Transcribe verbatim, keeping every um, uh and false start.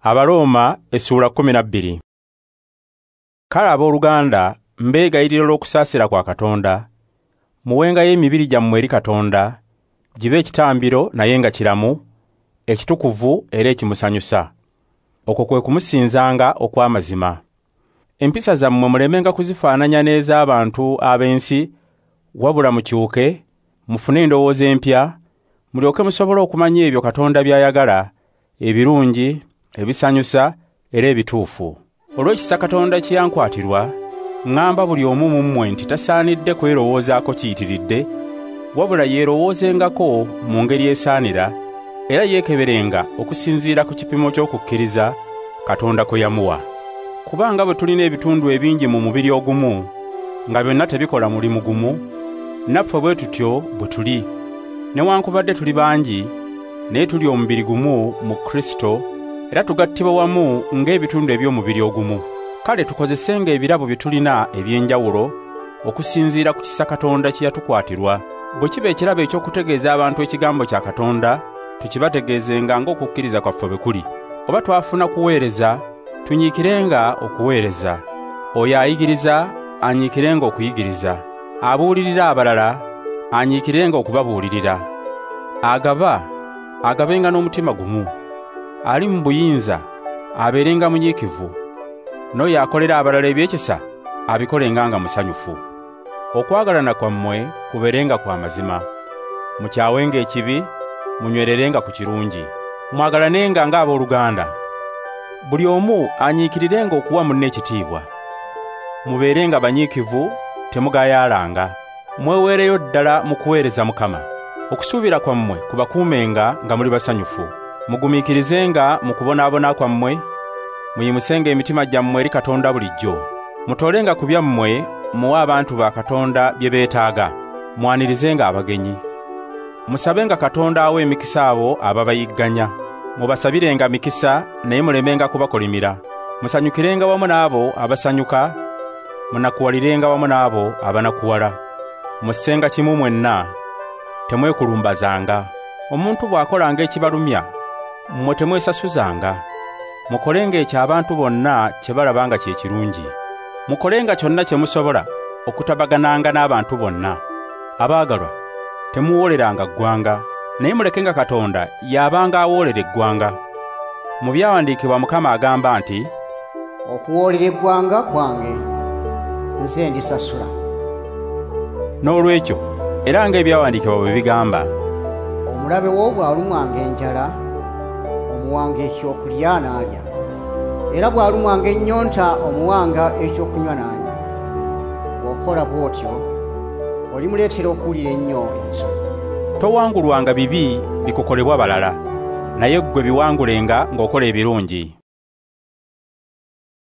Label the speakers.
Speaker 1: Abaroma essuula kkumi na bbiri. Kale abooluganda mbeegayirira olw'okusaasira kwa Katonda, muwengayo emibiri gyammwe eri Katonda, gibe ekitambiro naye nga kiramu, ekitukuvu era ekimusanyusa. Okwo kwe kumusinzanga okw'amazima. Empisa zammwe mulemenga kuzifaananya n'ez'abantu ab'ensi, wabula mukyuke, mufune endowooza empya, mulyoke musobole okumanya ebyo Katonda by'ayagala, ebirungi, ebisanyusa era ebituufu. Olw'ekisa Katonda kye yankwatirwa, ŋŋamba buli omu mu mmwe nti tasaanidde kwerowoozaako kiyitiridde, wabula yeerowoozengako mu ngeri esaanira, era yeekeberenga okusinziira ku kipimo ky'okukkiriza Katonda kwe yamuwa. Kubanga bwe tulina ebitundu ebingi mu mubiri ogumu, nga byonna tebikola mulimu gumu, naffe bwe tutyo bwe tuli. Newankubadde tuli bangi, naye tuli omubiri gumu mu Kristo, era tugattibwa wamu ng'ebitundu eby'omubiri ogumu. Kale tukozesenga ebirabo bye tulina eby'enjawulo okusinziira ku kisa Katonda kye yatukwatirwa. Bwe kiba ekirabo eky'okutegeeza abantu ekigambo kya Katonda, tukibategeezenga ng'okukkiriza kwaffe bwe kuli. Oba twafuna kuweereza, tunyiikirenga okuweereza. Oyo ayigiriza, anyiikirenga okuyigiriza. Abuulirira abalala, anyiikirenga okubabuulirira. Agaba, agabenga n'omutima gumu. Ali mu buyinza, abeerenga munyiikivu. N'oyo akolera abalala ebyekisa, abikolenga nga musanyufu. Okwagalana kwammwe kubeerenga kwa mazima. Mukyawenga ekibi, munywererenga ku kirungi. Mwagalanenga ng'abooluganda. Buli omu anyiikirirenga okuwa munne ekitiibwa. Mubeerenga banyiikivu, temugayaalanga. Mweweereyo ddala mu kuweereza Mukama. Okusuubira kwammwe kubakuumenga nga muli basanyufu. Mugumiikirizenga mu kubonaabona kwammwe, muyimusenga emitima gyammwe eri Katonda bulijjo. Mutolenga ku byammwe, muwe abantu ba Katonda bye beetaaga. Mwanirizenga abagenyi. Musabenga Katonda awe emikisa abo ababayigganya. Mubasabirenga mikisa, naye mulemenga kubakolimira. Musanyukirenga wamu n'abo abasanyuka, munakuwalirenga wamu n'abo abanakuwala. Mussenga kimu mwenna, temwekulumbazanga. Omuntu bw'akolanga ekibalumya, mmwe temwesasuzanga. Mukolenga ekyo abantu bonna kye balaba nga kye kirungi. Mukolenga kyonna kye musobola okutabagananga n'abantu bonna. Abaagalwa, temuwooleranga ggwanga, naye mulekenga Katonda y'abanga awoolera eggwanga. Mu byawandiikibwa Mukama agamba nti,
Speaker 2: okuwoolera eggwanga kwange, nze ndisasula.
Speaker 1: N'olwekyo, era ng'ebyawandiikibwa bwe bigamba,
Speaker 2: omulabe wo bw'alumwanga enjala, omuwanga ekyokulya n'alya, era bw'alumwanga ennyonta, omuwanga ekyokunywa n'anywa. Bw'okola bw'otyo, olimuleetera okuwulira ennyo ensonyi.
Speaker 1: Towangulwanga bibi bikukolebwa balala, naye ggwe biwangulenga ng'okola ebirungi.